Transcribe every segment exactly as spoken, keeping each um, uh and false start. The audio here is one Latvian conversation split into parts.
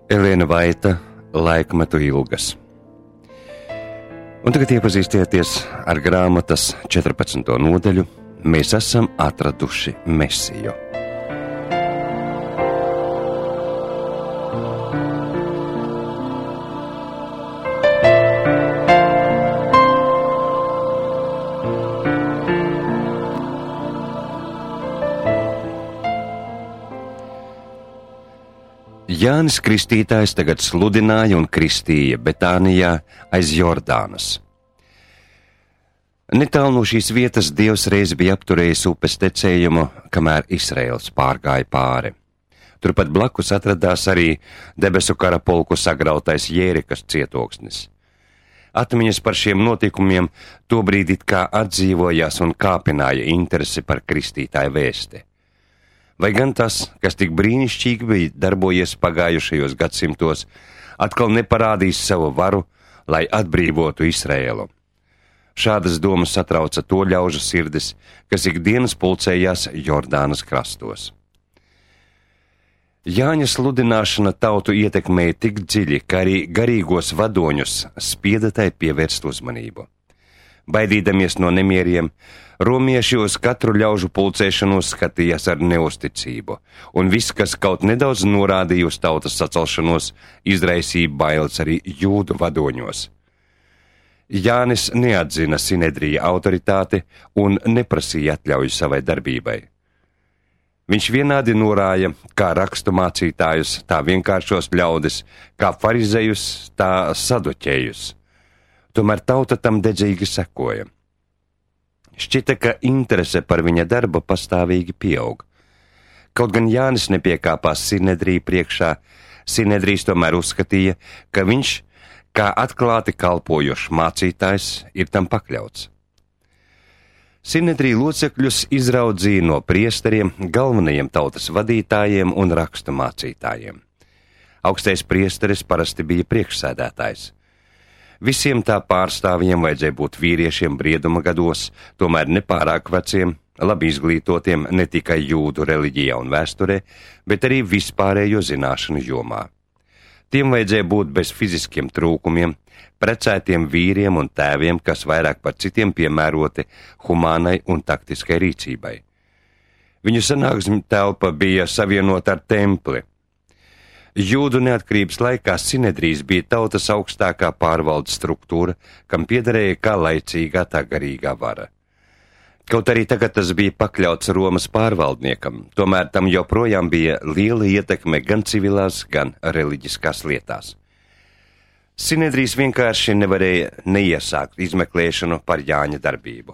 Elēna Vaita, Laikmetu ilgas. Un tagad iepazīstieties ar grāmatas četrpadsmito nodaļu Mēs esam atraduši Mesiju. Jānis Kristītājs tagad sludināja un kristīja Betānijā aiz Jordānas. Netālu no šīs vietas Dievs reiz bija apturējis upes tecējumu, kamēr Izraels pārgāja pāri. Turpat blakus atradās arī debesu kara pulku sagrautais Jērikas cietoksnis. Atmiņas par šiem notikumiem tobrīd it kā atdzīvojās un kāpināja interesi par kristītāju vēsti. Vai gan tas, kas tik brīnišķīgi bija darbojies pagājušajos gadsimtos, atkal neparādīs savu varu, lai atbrīvotu Izraēlu? Šādas domas satrauca to ļaužu sirdis, kas ikdienas pulcējās Jordānas krastos. Jāņa sludināšana tautu ietekmēja tik dziļi, ka arī garīgos vadoņus spieda tai pievērst uzmanību. Baidīdamies no nemieriem, romieši uz katru ļaužu pulcēšanos skatījās ar neusticību, un viss, kas kaut nedaudz norādīja uz tautas sacelšanos, izraisīja bailes arī jūdu vadoņos. Jānis neatzina Sinedrija autoritāti un neprasīja atļauju savai darbībai. Viņš vienādi norāja kā rakstu mācītājus, tā vienkāršos ļaudis, kā farizejus, tā saduķējus. Tomēr tauta tam dedzīgi sekoja. Šķita, ka interese par viņa darbu pastāvīgi pieaug. Kaut gan Jānis nepiekāpās Sinedrija priekšā, Sinedrijs tomēr uzskatīja, ka viņš, kā atklāti kalpojošs mācītājs, ir tam pakļauts. Sinedrija locekļus izraudzīja no priesteriem, galvenajiem tautas vadītājiem un rakstu mācītājiem. Augstais priesteris parasti bija priekšsēdētājs. Visiem tā pārstāvjiem vajadzēja būt vīriešiem brieduma gados, tomēr nepārāk veciem, labi izglītotiem ne tikai jūdu reliģijā un vēsturē, bet arī vispārējo zināšanu jomā. Tiem vajadzēja būt bez fiziskiem trūkumiem, precētiem vīriem un tēviem, kas vairāk par citiem piemēroti humānai un taktiskai rīcībai. Viņu sanāksmi telpa bija savienota ar templi. Jūdu neatkarības laikā Sinedrijs bija tautas augstākā pārvaldes struktūra, kam piederēja kā laicīgā, tā garīgā vara. Kaut arī tagad tas bija pakļauts Romas pārvaldniekam, tomēr tam joprojām bija liela ietekme gan civilās, gan reliģiskās lietās. Sinedrijs vienkārši nevarēja neiesākt izmeklēšanu par Jāņa darbību.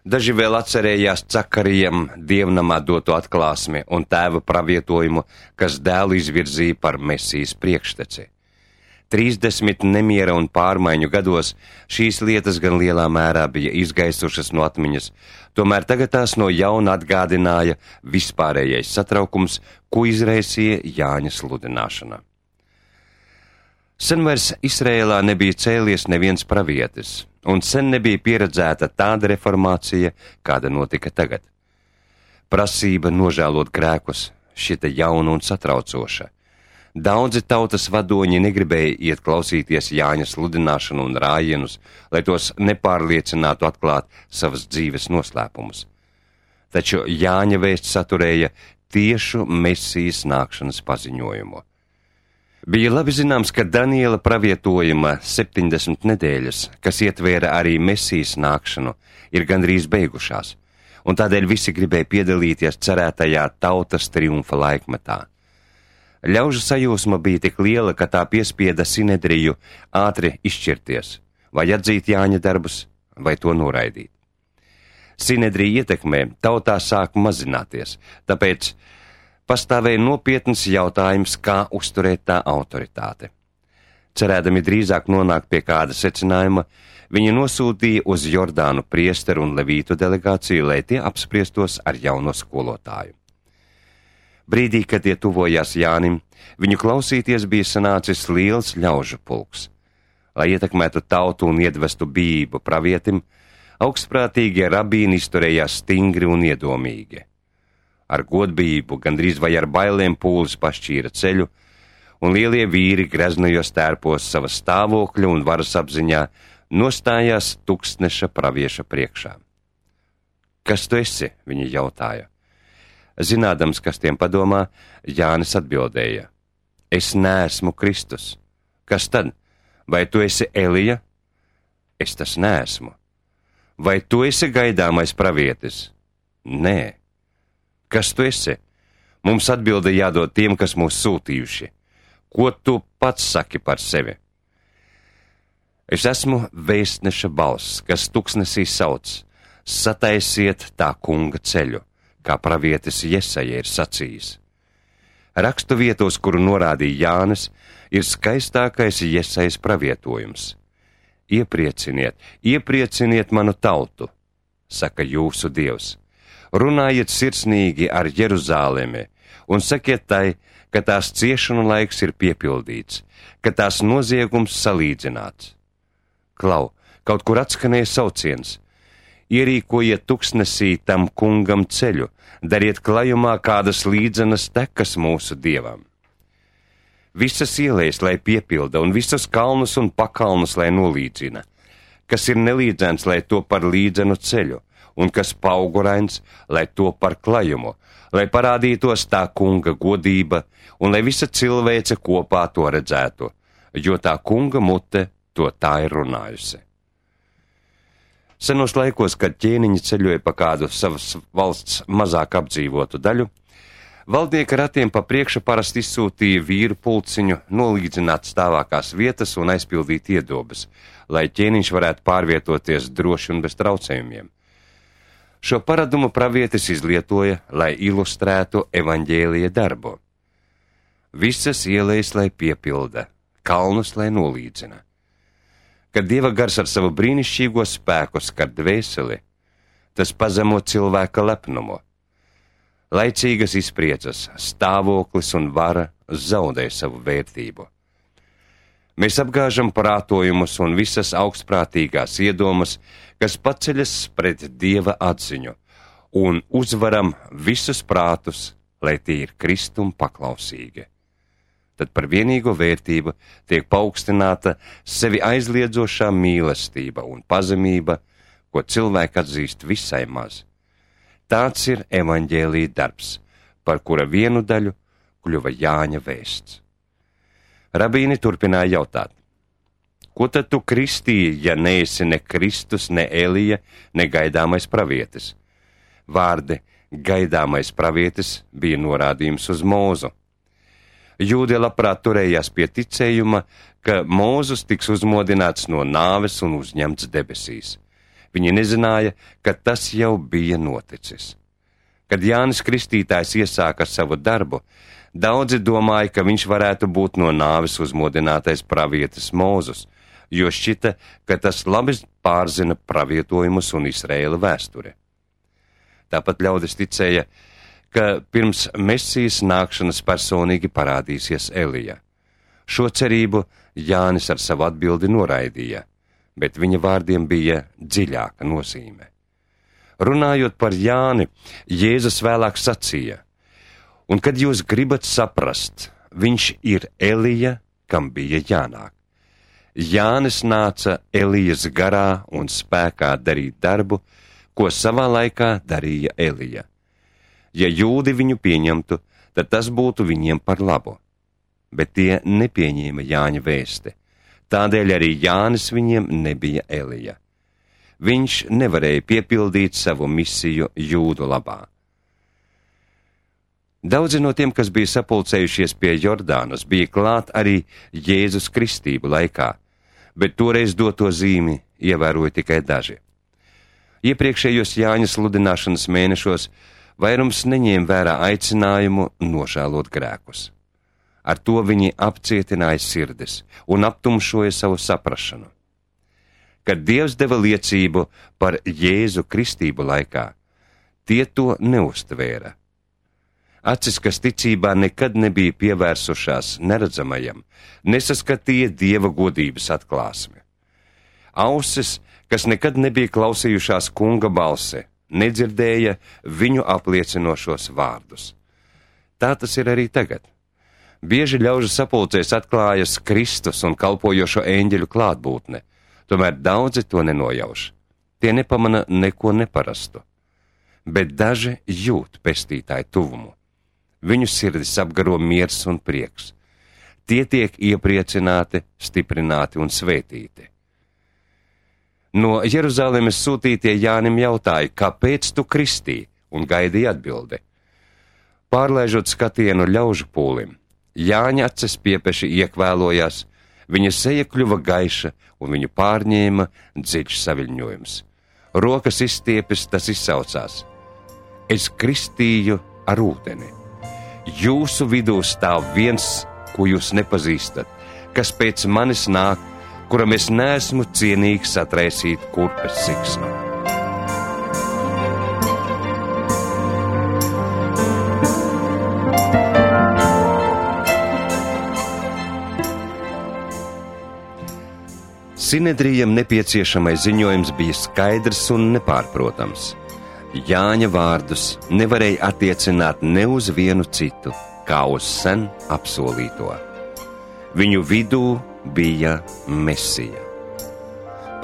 Daži vēl atcerējās Cakarijam dievnamā doto atklāsmi un tēva pravietojumu, kas dēlu izvirzīja par Mesijas priekšteci. Trīsdesmit nemiera un pārmaiņu gados šīs lietas gan lielā mērā bija izgaisušas no atmiņas, tomēr tagad tās no jauna atgādināja vispārējais satraukums, ko izraisīja Jāņa sludināšana. Sen vairs Izrēlā nebija cēlies neviens pravietis, un sen nebija pieredzēta tāda reformācija, kāda notika tagad. Prasība nožēlot grēkus šita jauna un satraucoša. Daudzi tautas vadoņi negribēja iet klausīties Jāņa sludināšanu un rājienus, lai tos nepārliecinātu atklāt savas dzīves noslēpumus. Taču Jāņa vēsts saturēja tiešu Mesijas nākšanas paziņojumu. Bija labi zināms, ka Daniela pravietojuma septiņdesmit nedēļas, kas ietvēra arī Mesijas nākšanu, ir gandrīz beigušās, un tādēļ visi gribēja piedalīties cerētajā tautas triumfa laikmetā. Ļaužu sajūsma bija tik liela, ka tā piespieda Sinedriju ātri izšķirties, vai atzīt Jāņa darbus, vai to noraidīt. Sinedrija ietekmē tautā sāk mazināties, tāpēc pastāvēja nopietns jautājums, kā uzturēt tā autoritāte. Cerēdami drīzāk nonākt pie kāda secinājuma, viņi nosūtīja uz Jordānu priesteru un levītu delegāciju, lai tie apspriestos ar jauno skolotāju. Brīdī, kad tie tuvojās Jānim, viņu klausīties bija sanācis liels ļaužu pulks. Lai ietekmētu tautu un iedvestu bijību pravietim, augstprātīgie rabīni izturējās stingri un iedomīgi. Ar godbijību, gandrīz vai ar bailēm pūlis pašķīra ceļu, un lielie vīri greznajos tērpos sava stāvokļa un varas apziņā nostājās tūkstneša pravieša priekšā. Kas tu esi? Viņi jautāja. Zinādams, kas tiem padomā, Jānis atbildēja. Es neesmu Kristus. Kas tad? Vai tu esi Elija? Es tas neesmu. Vai tu esi gaidāmais pravietis? Nē. Kas tu esi? Mums atbilde jādod tiem, kas mūs sūtījuši. Ko tu pats saki par sevi? Es esmu vēstneša balss, kas tuksnesī sauc. Sataisiet tā kunga ceļu, kā pravietis Jesaja ir sacījis. Rakstu vietos, kuru norādīja Jānis, ir skaistākais Jesajas pravietojums. Ieprieciniet, ieprieciniet manu tautu, saka jūsu Dievs. Runājiet sirsnīgi ar Jeruzālemi un sakiet tai, ka tās ciešanu laiks ir piepildīts, ka tās noziegums salīdzināts. Klau, kaut kur atskanēja sauciens. Ierīkojiet tuksnesī tam kungam ceļu, dariet klajumā kādas līdzenas tekas mūsu Dievam. Visas ielejas, lai piepilda, un visus kalnus un pakalnus, lai nolīdzina. Kas ir nelīdzens, lai to par līdzenu ceļu, un kas paugurains, lai to par klajumu, lai parādītos tā kunga godība, un lai visa cilvēce kopā to redzētu, jo tā kunga mute to tā ir runājusi. Senos laikos, kad ķēniņi ceļoja pa kādu savas valsts mazāk apdzīvotu daļu, valdnieka ratiem pa priekšu parasti izsūtīja vīru pulciņu nolīdzināt stāvākās vietas un aizpildīt iedobes, lai ķēniņš varētu pārvietoties droši un bez traucējumiem. Šo paradumu pravietis izlietoja, lai ilustrētu evaņģēlija darbu. Visas ielejas, lai piepilda, kalnus, lai nolīdzina. Kad Dieva gars ar savu brīnišķīgo spēku skar dvēseli, tas pazemo cilvēka lepnumu. Laicīgas izpriecas, stāvoklis un vara zaudē savu vērtību. Mēs apgāžam prātojumus un visas augstprātīgās iedomas, kas paceļas pret Dieva atziņu, un uzvaram visus prātus, lai tie ir Kristum paklausīgi. Tad par vienīgo vērtību tiek paaugstināta sevi aizliedzošā mīlestība un pazemība, ko cilvēki atzīst visai maz. Tāds ir evaņģēlija darbs, par kura vienu daļu kļuva Jāņa vēsts. Rabīni turpināja jautāt, ko tad tu kristīji, ja neesi ne Kristus, ne Elija, ne gaidāmais pravietis? Vārdi gaidāmais pravietis bija norādījums uz Mūzu. Jūdi labprāt turējās pie ticējuma, ka Mūzus tiks uzmodināts no nāves un uzņemts debesīs. Viņi nezināja, ka tas jau bija noticis. Kad Jānis Kristītājs iesāka savu darbu, daudzi domāja, ka viņš varētu būt no nāves uzmodinātais pravietis Mūzus, jo šķita, ka tas labi pārzina pravietojumus un Izraēla vēsturi. Tāpat ļaudis ticēja, ka pirms Mesijas nākšanas personīgi parādīsies Elija. Šo cerību Jānis ar savu atbildi noraidīja, bet viņa vārdiem bija dziļāka nozīme. Runājot par Jāni, Jēzus vēlāk sacīja, un kad jūs gribat saprast, viņš ir Elija, kam bija jānāk. Jānis nāca Elijas garā un spēkā darīt darbu, ko savā laikā darīja Elija. Ja jūdi viņu pieņemtu, tad tas būtu viņiem par labu. Bet tie nepieņēma Jāņa vēsti. Tādēļ arī Jānis viņiem nebija Elija. Viņš nevarēja piepildīt savu misiju jūdu labā. Daudzi no tiem, kas bija sapulcējušies pie Jordānas, bija klāt arī Jēzus kristību laikā, bet toreiz doto zīmi ievēroja tikai daži. Iepriekšējos Jāņa sludināšanas mēnešos vairums neņēma vērā aicinājumu nožēlot grēkus. Ar to viņi apcietināja sirdis un aptumšoja savu saprašanu. Kad Dievs deva liecību par Jēzu kristību laikā, tie to neuztvēra. Acis, kas ticībā nekad nebija pievērsušās neredzamajam, nesaskatīja Dieva godības atklāsmi. Ausis, kas nekad nebija klausījušās kunga balsi, nedzirdēja viņu apliecinošos vārdus. Tā tas ir arī tagad. Bieži ļaužu sapulcēs atklājas Kristus un kalpojošo eņģeļu klātbūtne, tomēr daudzi to nenojauš. Tie nepamana neko neparastu, bet daži jūt pestītāju tuvumu. Viņu sirdis apgaro miers un prieks. Tie tiek iepriecināti, stiprināti un svētīti. No Jeruzalemes sūtītie Jānim jautāja, kāpēc tu kristī, un gaidīja atbildi. Pārlaižot skatienu ļaužu pūlim, Jāņa acis piepeši iekvēlojās, viņa seja kļuva gaiša un viņu pārņēma dziļš saviļņojums. Rokas izstiepis, tas izsaucās: Es kristīju ar ūdeni. Jūsu vidū stāv viens, ko jūs nepazīstat, kas pēc manis nāk, kuram es neesmu cienīgs atraisīt kurpes siksnu. Sinedrijam nepieciešamais ziņojums bija skaidrs un nepārprotams. Jāņa vārdus nevarēja attiecināt ne uz vienu citu, kā uz sen apsolīto. Viņu vidū bija Mesija.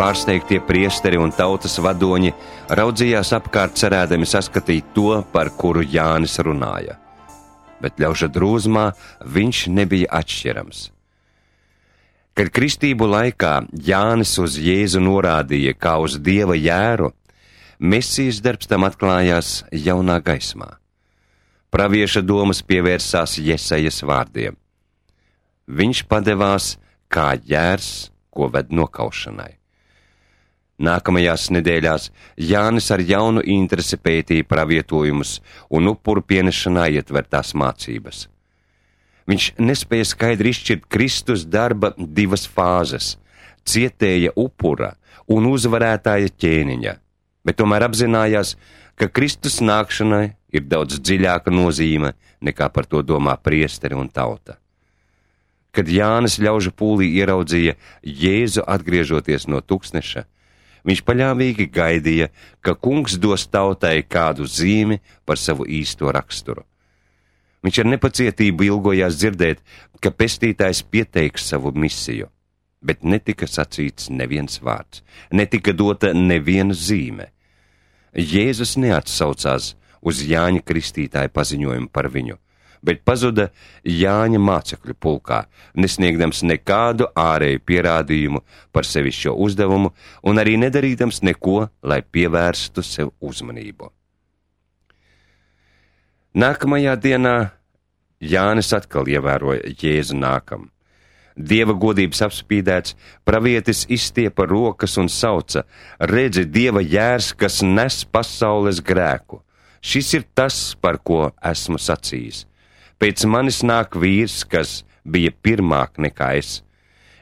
Pārsteigtie priesteri un tautas vadoņi raudzījās apkārt, cerēdami saskatīt to, par kuru Jānis runāja. Bet ļauža drūzmā viņš nebija atšķirams. Kad kristību laikā Jānis uz Jēzu norādīja kā uz Dieva jēru, Mesijas darbs tam atklājās jaunā gaismā. Pravieša domas pievērsās Jesajas vārdiem. Viņš padevās kā jērs, ko ved nokaušanai. Nākamajās nedēļās Jānis ar jaunu interesi pētīja pravietojumus un upuru pienešanā ietvertās mācības. Viņš nespēja skaidri izšķirt Kristus darba divas fāzes – cietēja upura un uzvarētāja ķēniņa, bet tomēr apzinājās, ka Kristus nākšanai ir daudz dziļāka nozīme nekā par to domā priesteri un tauta. Kad Jānis ļaužu pūlī ieraudzīja Jēzu atgriežoties no tuksneša, viņš paļāvīgi gaidīja, ka kungs dos tautai kādu zīmi par savu īsto raksturu. Viņš ar nepacietību ilgojās dzirdēt, ka pestītājs pieteiks savu misiju, bet netika sacīts neviens vārds, netika dota neviena zīme. Jēzus neatsaucās uz Jāņa Kristītāja paziņojumu par viņu, bet pazuda Jāņa mācekļu pulkā, nesniegdams nekādu ārēju pierādījumu par sevišķo uzdevumu un arī nedarīdams neko, lai pievērstu sev uzmanību. Nākamajā dienā Jānis atkal ievēroja Jēzu nākam. Dieva godības apspīdēts, pravietis izstiepa rokas un sauca: Redzi, Dieva jērs, kas nes pasaules grēku. Šis ir tas, par ko esmu sacījis. Pēc manis nāk vīrs, kas bija pirmāk nekā es.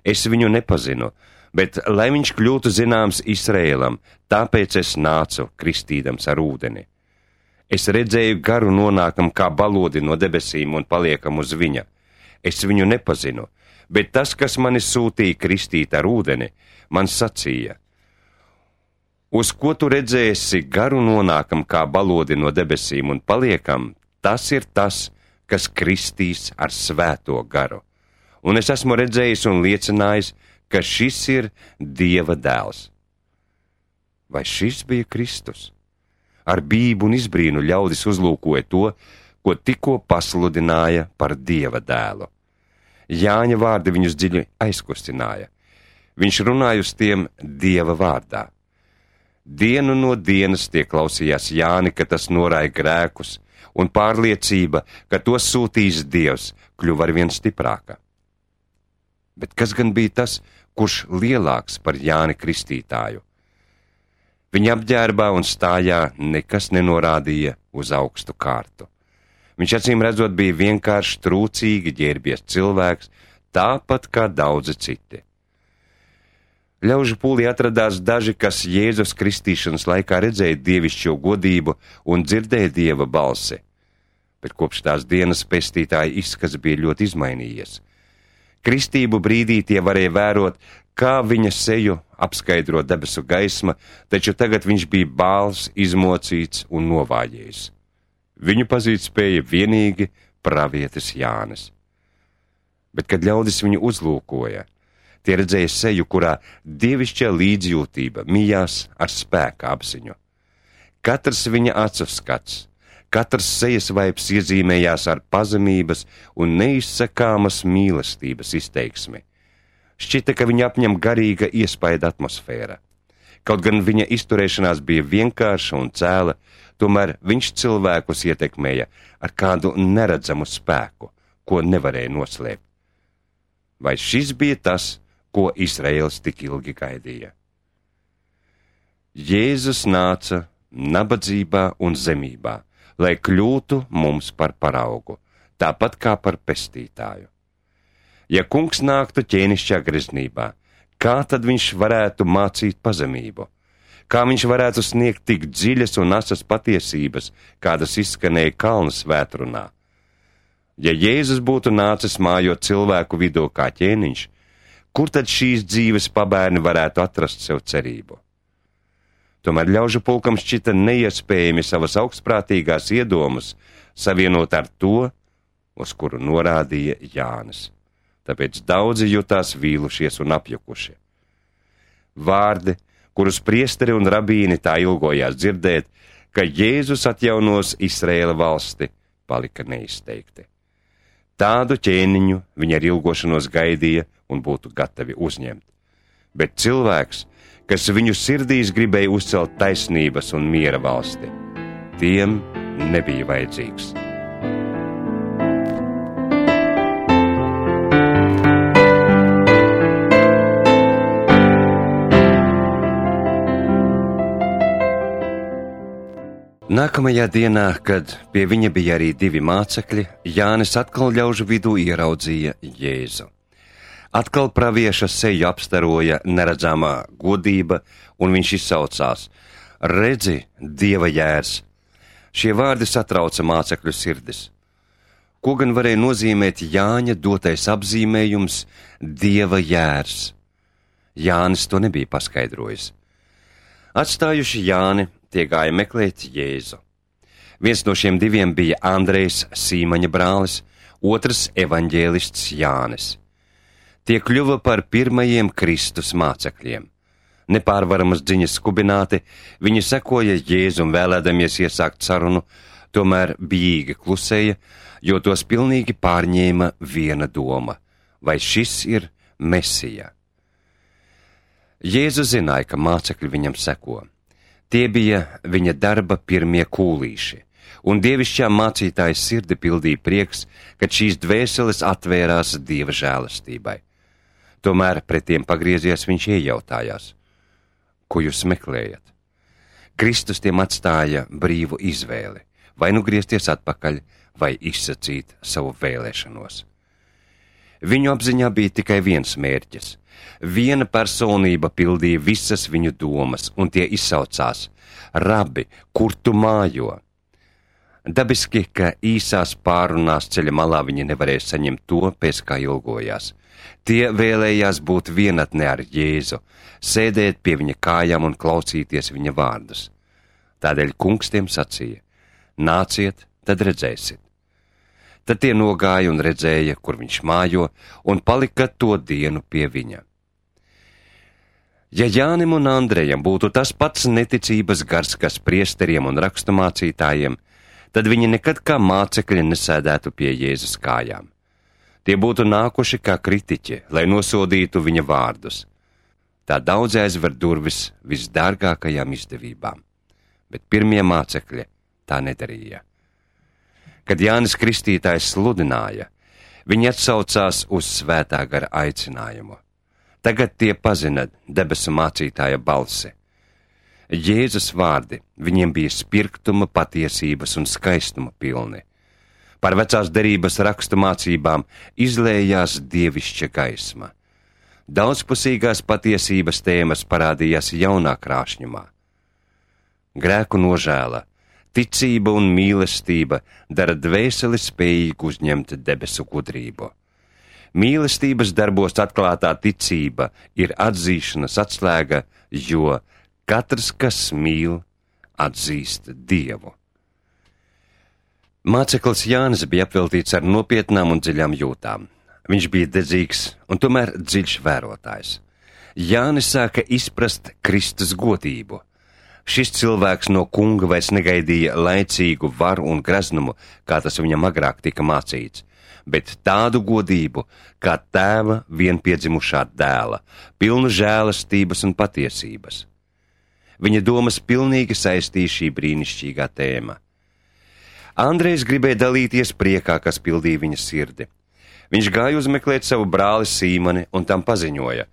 Es viņu nepazinu, bet lai viņš kļūtu zināms Izraēlam, tāpēc es nācu kristīdams ar ūdeni. Es redzēju garu nonākam kā balodi no debesīm un paliekam uz viņa. Es viņu nepazinu, bet tas, kas mani sūtīja kristīt ar ūdeni, man sacīja: Uz ko tu redzēsi garu nonākam kā balodi no debesīm un paliekam, tas ir tas, kas kristīs ar svēto garu. Un es esmu redzējis un liecinājis, ka šis ir Dieva dēls. Vai šis bija Kristus? Ar bību un izbrīnu ļaudis uzlūkoja to, ko tikko pasludināja par Dieva dēlu. Jāņa vārdi viņus dziļi aizkustināja. Viņš runāja uz tiem Dieva vārdā. Dienu no dienas tie klausījās Jāni, ka tas norāja grēkus, un pārliecība, ka to sūtīs Dievs, kļuva arvien stiprāka. Bet kas gan bija tas, kurš lielāks par Jāni Kristītāju? Viņa apģērbā un stājā nekas nenorādīja uz augstu kārtu. Viņš acīm redzot bija vienkārši trūcīgi ģērbies cilvēks, tāpat kā daudzi citi. Ļaužu pūlī atradās daži, kas Jēzus kristīšanas laikā redzēja dievišķo godību un dzirdēja Dieva balsi, bet kopš tās dienas pestītāja izskats bija ļoti izmainījies. Kristību brīdī tie varēja vērot, kā viņa seju apskaidro debesu gaisma, taču tagad viņš bija bāls, izmocīts un novājējis. Viņu pazīt spēja vienīgi pravietis Jānis. Bet, kad ļaudis viņu uzlūkoja, tie redzēja seju, kurā dievišķā līdzjūtība mijās ar spēka apziņu. Katrs viņa acu skats, katrs sejas vaips iezīmējās ar pazemības un neizsakāmas mīlestības izteiksmi. Šķita, ka viņa apņem garīga iespaida atmosfēra. Kaut gan viņa izturēšanās bija vienkārša un cēla, tomēr viņš cilvēkus ietekmēja ar kādu neredzamu spēku, ko nevarēja noslēpt. Vai šis bija tas, ko Izraēls tik ilgi gaidīja? Jēzus nāca nabadzībā un zemībā, lai kļūtu mums par paraugu, tāpat kā par pestītāju. Ja kungs nāktu ķēnišķā greznībā, kā tad viņš varētu mācīt pazemību? Kā viņš varētu sniegt tik dziļas un asas patiesības, kādas izskanēja kalnu svētrunā? Ja Jēzus būtu nācis mājot cilvēku vidū kā ķēniņš, kur tad šīs dzīves pabērni varētu atrast sev cerību? Tomēr ļaužu pulkam šķita neiespējami savas augstprātīgās iedomas savienot ar to, uz kuru norādīja Jānis. Tāpēc daudzi jutās vīlušies un apjukuši. Vārdi, kurus priesteri un rabīni tā ilgojās dzirdēt, ka Jēzus atjaunos Izraēla valsti, palika neizteikti. Tādu ķēniņu viņi ar ilgošanos gaidīja un būtu gatavi uzņemt. Bet cilvēks, kas viņu sirdīs gribēja uzcelt taisnības un miera valsti, tiem nebija vajadzīgs. Nākamajā dienā, kad pie viņa bija arī divi mācekļi, Jānis atkal ļaužu vidū ieraudzīja Jēzu. Atkal pravieša seju apstaroja neredzamā godība, un viņš izsaucās: redzi, Dieva jērs! Šie vārdi satrauca mācekļu sirdis. Ko gan varēja nozīmēt Jāņa dotais apzīmējums Dieva jērs? Jānis to nebija paskaidrojis. Atstājuši Jāni, tie gāja meklēt Jēzu. Viens no šiem diviem bija Andrejs, Sīmaņa brālis, otrs evaņģēlists Jānis. Tie kļuva par pirmajiem Kristus mācekļiem. Nepārvaramas dziņas skubināti, viņi sekoja Jēzum vēlēdamies iesākt sarunu, tomēr bijīgi klusēja, jo tos pilnīgi pārņēma viena doma: vai šis ir Mesija? Jēzus zināja, ka mācekļi viņam seko. Tie bija viņa darba pirmie kūlīši, un dievišķā mācītāja sirdi pildīja prieks, kad šīs dvēseles atvērās Dieva žēlastībai. Tomēr pret tiem pagriezies viņš iejautājās: ko jūs meklējat? Kristus tiem atstāja brīvu izvēli, vai nu griezties atpakaļ, vai izsacīt savu vēlēšanos. Viņu apziņā bija tikai viens mērķis. Viena personība pildīja visas viņu domas, un tie izsaucās: Rabi, kur tu mājo? Dabiski, ka īsās pārunās ceļa malā viņi nevarēja saņemt to, pēc kā ilgojās. Tie vēlējās būt vienatnē ar Jēzu, sēdēt pie viņa kājām un klausīties viņa vārdus. Tādēļ kungs tiem sacīja: nāciet, tad redzēsiet. Tad tie nogāja un redzēja, kur viņš mājo, un palika to dienu pie viņa. Ja Jānim un Andrejam būtu tas pats neticības gars, kas priesteriem un raksturmācītājiem, tad viņi nekad kā mācekļi nesēdētu pie Jēzus kājām. Tie būtu nākuši kā kritiķi, lai nosodītu viņa vārdus. Tā daudz aizver durvis visdārgākajām izdevībām, bet pirmie mācekļi tā nedarīja. Kad Jānis Kristītājs sludināja, viņi atsaucās uz svētā gara aicinājumu. Tagad tie pazina debesu mācītāja balsi. Jēzus vārdi viņiem bija spirktuma, patiesības un skaistuma pilni. Par vecās derības rakstu mācībām izlējās dievišķa gaisma. Daudzpusīgās patiesības tēmas parādījās jaunā krāšņumā. Grēku nožēla, ticība un mīlestība dara dvēseli spējīgu uzņemt debesu gudrību. Mīlestības darbos atklātā ticība ir atzīšanas atslēga, jo katrs, kas mīl, atzīst Dievu. Māceklis Jānis bija apveltīts ar nopietnām un dziļām jūtām. Viņš bija dedzīgs un tomēr dziļš vērotājs. Jānis sāka izprast Kristus godību. Šis cilvēks no kunga vairs negaidīja laicīgu varu un graznumu, kā tas viņam agrāk tika mācīts, bet tādu godību, kā tēva vienpiedzimušā dēla, pilnu žēlastības un patiesības. Viņa domas pilnīgi saistīja šī brīnišķīgā tēma. Andrejs gribēja dalīties priekā, kas pildīja viņa sirdi. Viņš gāja uzmeklēt savu brāli Sīmoni un tam paziņoja: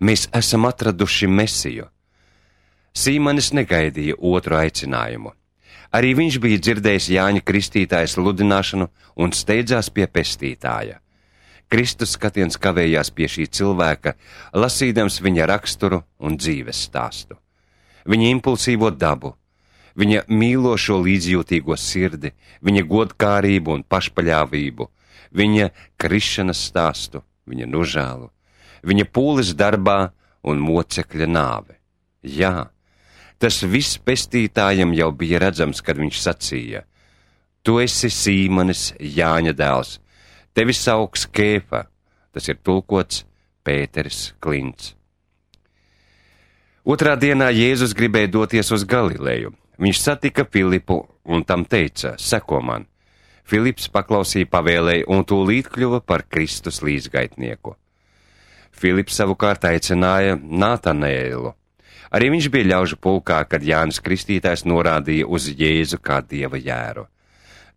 mēs esam atraduši Mesiju. Sīmanis negaidīja otru aicinājumu. Arī viņš bija dzirdējis Jāņa Kristītāja sludināšanu un steidzās pie pestītāja. Kristus skatiens kavējās pie šī cilvēka, lasīdams viņa raksturu un dzīves stāstu. Viņa impulsīvo dabu, viņa mīlošo līdzjūtīgo sirdi, viņa godkārību un pašpaļāvību, viņa krišanas stāstu, viņa nožēlu, viņa pūles darbā un mocekļa nāve. Jā, tas viss pestītājam jau bija redzams, kad viņš sacīja: tu esi Sīmanis, Jāņa dēls, tevi sauks Kēfa, tas ir tulkots Pēteris Klints. Otrā dienā Jēzus gribēja doties uz Galileju. Viņš satika Filipu un tam teica: seko man. Filips paklausīja pavēlei un tūlīt kļuva par Kristus līdzgaitnieku. Filips savukārt aicināja Nātanēlu. Arī viņš bija ļaužu pulkā, kad Jānis Kristītājs norādīja uz Jēzu kā Dieva jēru.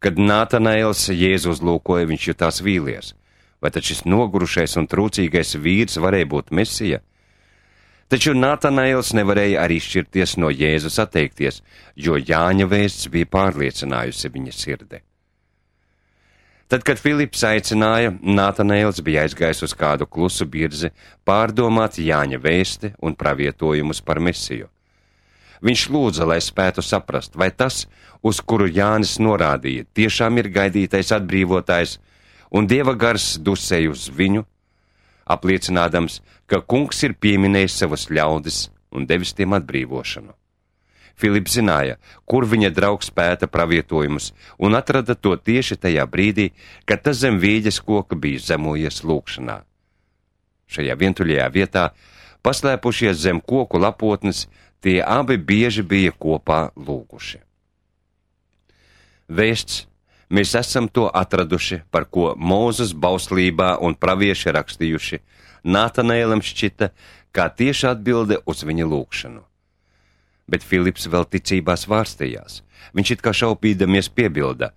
Kad Nātanēls Jēzu uzlūkoja, viņš jutās vīlies. Vai tad šis nogurušais un trūcīgais vīrs varēja būt Mesija? Taču Nātanēls nevarēja arī šķirties no Jēzus atteikties, jo Jāņa vēsts bija pārliecinājusi viņa sirdi. Tad, kad Filips aicināja, Nātanēls bija aizgājis uz kādu klusu birzi pārdomāt Jāņa vēsti un pravietojumus par Mesiju. Viņš lūdza, lai spētu saprast, vai tas, uz kuru Jānis norādīja, tiešām ir gaidītais atbrīvotājs, un Dieva gars dusēja uz viņu, apliecinādams, ka kungs ir pieminējis savus ļaudis un devis tiem atbrīvošanu. Filips zināja, kur viņa draugs pēta pravietojumus, un atrada to tieši tajā brīdī, kad tas zem vīģes koka bija zemojies lūkšanā. Šajā vientuļajā vietā, paslēpušies zem koku lapotnes, tie abi bieži bija kopā lūguši. Vēsts: mēs esam to atraduši, par ko Mūzes bauslībā un pravieši rakstījuši, Nātanēlam šķita kā tieši atbilde uz viņa lūgšanu. Bet Filips vēl ticībā svārstījās. Viņš it kā šaupīdamies piebilda: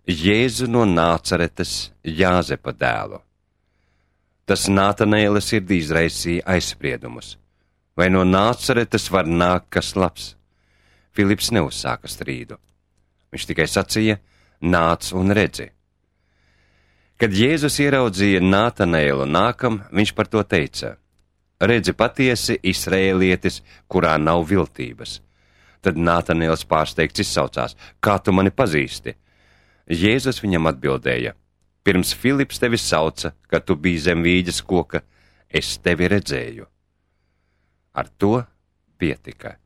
Jēzu no Nācaretes, Jāzepa dēlu. Tas Nātanēla sirdī izraisīja aizspriedumus. Vai no Nācaretes var nākt kas labs? Filips neuzsāka strīdu. Viņš tikai sacīja: nāc un redzi. Kad Jēzus ieraudzīja Nātanēlu nākam, viņš par to teica: redzi patiesi Izraēlietis, kurā nav viltības. Tad Nātanēls pārsteigts izsaucās: kā tu mani pazīsti? Jēzus viņam atbildēja: pirms Filips tevi sauca, kad tu biji zem vīģes koka, es tevi redzēju. Ar to pietika.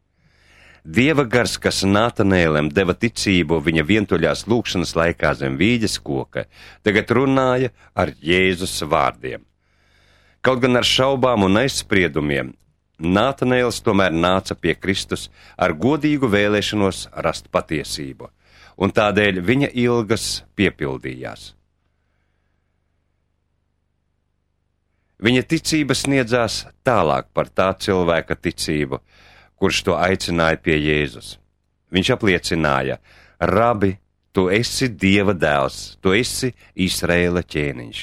Dieva gars, kas Nātanēlam deva ticību viņa vientuļās lūkšanas laikā zem vīģes koka, tagad runāja ar Jēzus vārdiem. Kaut gan ar šaubām un aizspriedumiem, Nātanēls tomēr nāca pie Kristus ar godīgu vēlēšanos rast patiesību, un tādēļ viņa ilgas piepildījās. Viņa ticība sniedzās tālāk par tā cilvēka ticību, kurš to aicināja pie Jēzus. Viņš apliecināja: Rabi, tu esi Dieva dēls, tu esi Izraēla ķēniņš.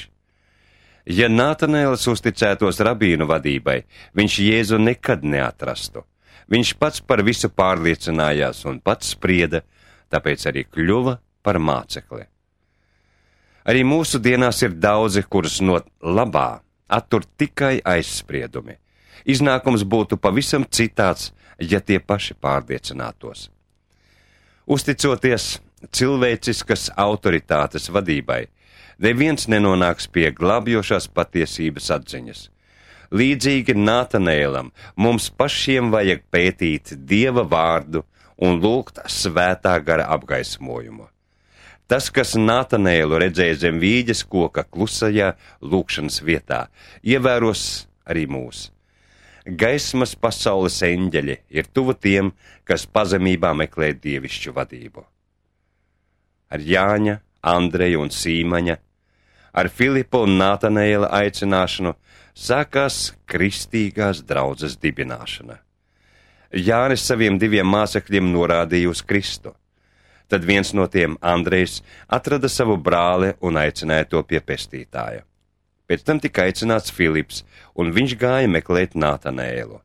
Ja Nātanēls uzticētos rabīnu vadībai, viņš Jēzu nekad neatrastu. Viņš pats par visu pārliecinājās un pats sprieda, tāpēc arī kļuva par mācekli. Arī mūsu dienās ir daudzi, kurus no labā attur tikai aizspriedumi. Iznākums būtu pavisam citāds, ja tie paši pārliecinātos. Uzticoties cilvēciskas autoritātes vadībai, neviens nenonāks pie glābjošās patiesības atziņas. Līdzīgi Nātanēlam, mums pašiem vajag pētīt Dieva vārdu un lūgt svētā gara apgaismojumu. Tas, kas Nātanēlu redzēja zem vīģes koka klusajā lūkšanas vietā, ievēros arī mūs. Gaismas pasaules eņģeļi ir tuvu tiem, kas pazemībā meklē dievišķu vadību. Ar Jāņa, Andreja un Sīmaņa, ar Filipa un Nātanēla aicināšanu sākās kristīgās draudzes dibināšana. Jānis saviem diviem mācekļiem norādīja uz Kristu. Tad viens no tiem, Andrejs, atrada savu brāli un aicināja to pie pestītāja. Pēc tam tika aicināts Filips, un viņš gāja meklēt Nātanēlu.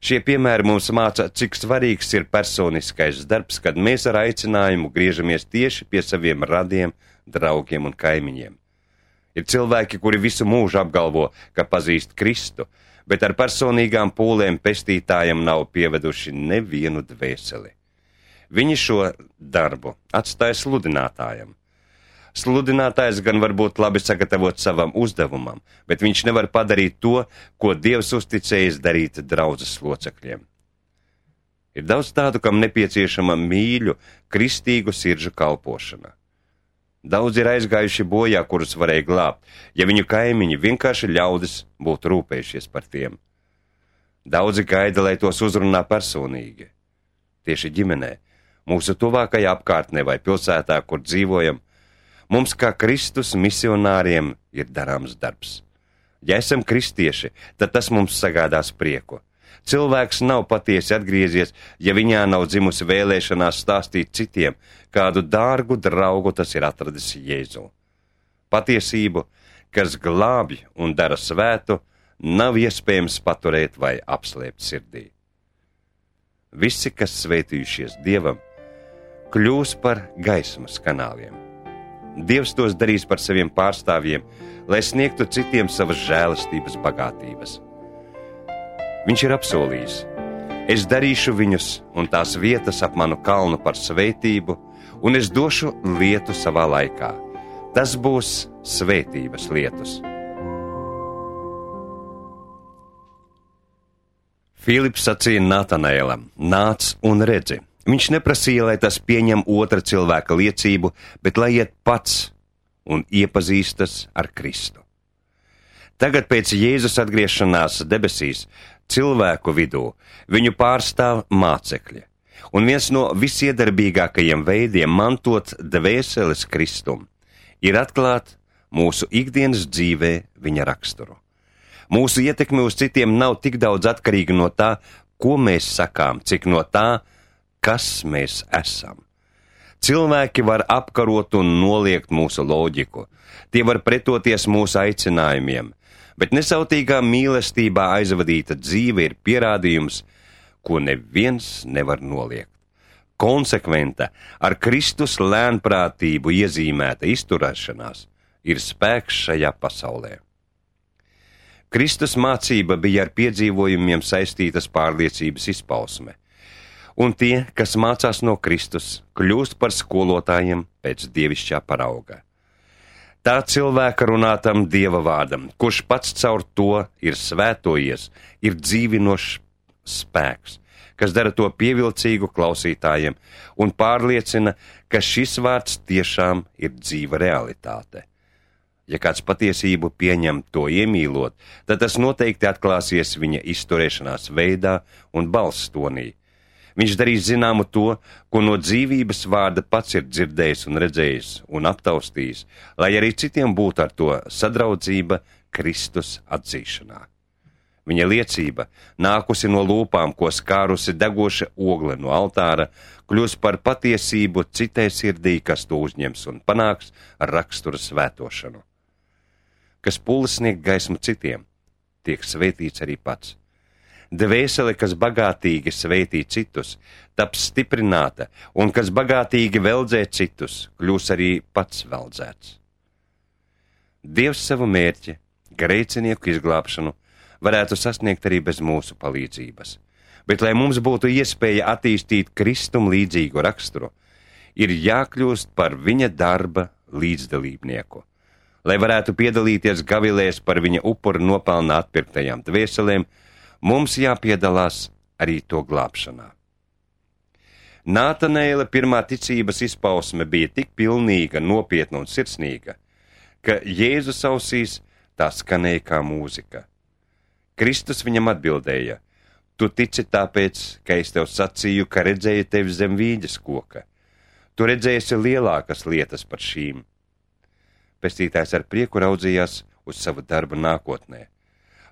Šie piemēri mums māca, cik svarīgs ir personiskais darbs, kad mēs ar aicinājumu griežamies tieši pie saviem radiem, draugiem un kaimiņiem. Ir cilvēki, kuri visu mūžu apgalvo, ka pazīst Kristu, bet ar personīgām pūlēm pestītājam nav pieveduši nevienu dvēseli. Viņi šo darbu atstāja sludinātājam. Sludinātājs gan var būt labi sagatavot savam uzdevumam, bet viņš nevar padarīt to, ko Dievs uzticējis darīt draudzes locekļiem. Ir daudz tādu, kam nepieciešama mīļu, kristīgu sirdžu kalpošana. Daudz ir aizgājuši bojā, kurus varēja glābt, ja viņu kaimiņi vienkārši ļaudis būtu rūpējušies par tiem. Daudzi gaida, lai tos uzrunā personīgi. Tieši ģimenē, mūsu tuvākajā apkārtnē vai pilsētā, kur dzīvojam, mums kā Kristus misionāriem ir darāms darbs. Ja esam kristieši, tad tas mums sagādās prieku. Cilvēks nav patiesi atgriezies, ja viņā nav dzimusi vēlēšanās stāstīt citiem, kādu dārgu draugu tas ir atradis Jēzu. Patiesību, kas glābj un dara svētu, nav iespējams paturēt vai apslēpt sirdī. Visi, kas svētījušies Dievam, kļūs par gaismas kanāliem. Dievs tos darīs par saviem pārstāvjiem, lai sniegtu citiem savas žēlastības bagātības. Viņš ir apsolījis: es darīšu viņus un tās vietas ap manu kalnu par svētību, un es došu lietu savā laikā. Tas būs svētības lietus. Filips sacīja Nātanēlam: nāc un redzi. Viņš neprasīja, lai tas pieņem otra cilvēka liecību, bet lai iet pats un iepazīstas ar Kristu. Tagad pēc Jēzus atgriešanās debesīs cilvēku vidū viņu pārstāv mācekļi, un viens no visiedarbīgākajiem veidiem mantot dvēseles Kristum ir atklāt mūsu ikdienas dzīvē viņa raksturu. Mūsu ietekme uz citiem nav tik daudz atkarīga no tā, ko mēs sakām, cik no tā, kas mēs esam. Cilvēki var apkarot un noliegt mūsu loģiku, tie var pretoties mūsu aicinājumiem, bet nesautīgā mīlestībā aizvadīta dzīve ir pierādījums, ko neviens nevar noliegt. Konsekventa, ar Kristus lēnprātību iezīmēta izturēšanās ir spēks šajā pasaulē. Kristus mācība bija ar piedzīvojumiem saistītas pārliecības izpausme, un tie, kas mācās no Kristus, kļūst par skolotājiem pēc dievišķā parauga. Tā cilvēka runātam Dieva vārdam, kurš pats caur to ir svētojies, ir dzīvinošs spēks, kas dara to pievilcīgu klausītājiem un pārliecina, ka šis vārds tiešām ir dzīva realitāte. Ja kāds patiesību pieņem to iemīlot, tad tas noteikti atklāsies viņa izturēšanās veidā un balss tonī. Viņš darīs zināmu to, ko no dzīvības vārda pats ir dzirdējis un redzējis un aptaustījis, lai arī citiem būtu ar to sadraudzība Kristus atzīšanā. Viņa liecība, nākusi no lūpām, ko skārusi degoša ogle no altāra, kļūs par patiesību citai sirdī, kas to uzņems un panāks ar rakstura svētošanu. Kas pūles sniegt gaismu citiem, tiek svētīts arī pats. Dvēsele, kas bagātīgi svētī citus, taps stiprināta, un kas bagātīgi veldzē citus, kļūs arī pats veldzēts. Dievs savu mērķi, grēcinieku izglābšanu, varētu sasniegt arī bez mūsu palīdzības, bet, lai mums būtu iespēja attīstīt Kristum līdzīgu raksturu, ir jākļūst par viņa darba līdzdalībnieku. Lai varētu piedalīties gavilēs par viņa upuru nopelnā atpirktajām dvēselēm, mums jāpiedalās arī to glābšanā. Nātanēla pirmā ticības izpausme bija tik pilnīga, nopietna un sirsnīga, ka Jēzus ausīs tā skanēja kā mūzika. Kristus viņam atbildēja: Tu tici tāpēc, ka es tev sacīju, ka redzēju tevi zem vīģes koka. Tu redzēsi lielākas lietas par šīm. Pestītājs ar prieku raudzījās uz savu darbu nākotnē.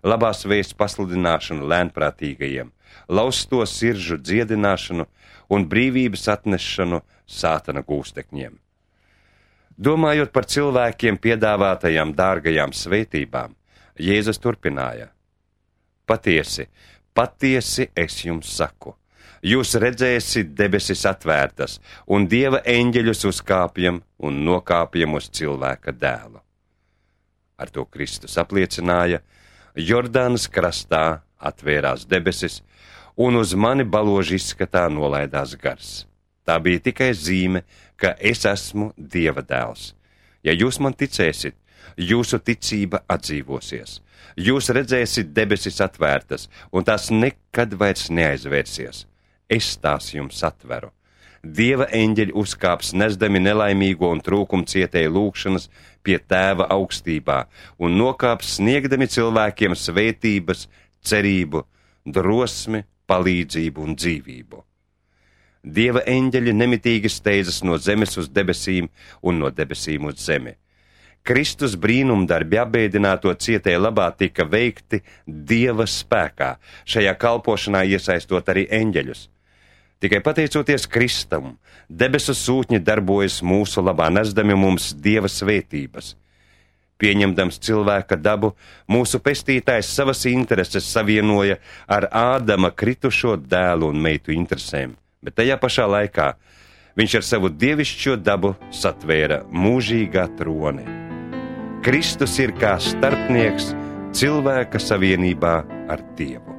Labās vēsts pasludināšanu lēnprātīgajiem, lausto siržu dziedināšanu un brīvības atnešanu sātana gūstekņiem. Domājot par cilvēkiem piedāvātajām dārgajām svētībām, Jēzus turpināja: Patiesi, patiesi es jums saku, jūs redzēsiet debesis atvērtas un Dieva eņģeļus uzkāpjam un nokāpjam uz cilvēka dēlu. Ar to Kristus apliecināja: Jordānas krastā atvērās debesis, un uz mani baloži izskatā nolaidās gars. Tā bija tikai zīme, ka es esmu Dieva dēls. Ja jūs man ticēsiet, jūsu ticība atdzīvosies. Jūs redzēsiet debesis atvērtas, un tās nekad vairs neaizvērsies. Es tās jums atveru. Dieva eņģeļi uzkāps nesdami nelaimīgo un trūkumu cietēju lūgšanas pie Tēva augstībā un nokāps sniegdami cilvēkiem svētības, cerību, drosmi, palīdzību un dzīvību. Dieva eņģeļi nemitīgi steidzas no zemes uz debesīm un no debesīm uz zemi. Kristus brīnumdarbi apbēdināto cietēju labā tika veikti Dieva spēkā, šajā kalpošanā iesaistot arī eņģeļus. Tikai pateicoties Kristum, debesu sūtņi darbojas mūsu labā, nesdami mums Dieva svētības. Pieņemdams cilvēka dabu, mūsu pestītājs savas intereses savienoja ar Ādama kritušo dēlu un meitu interesēm, bet tajā pašā laikā viņš ar savu dievišķo dabu satvēra mūžīgā troni. Kristus ir kā starpnieks cilvēka savienībā ar Dievu.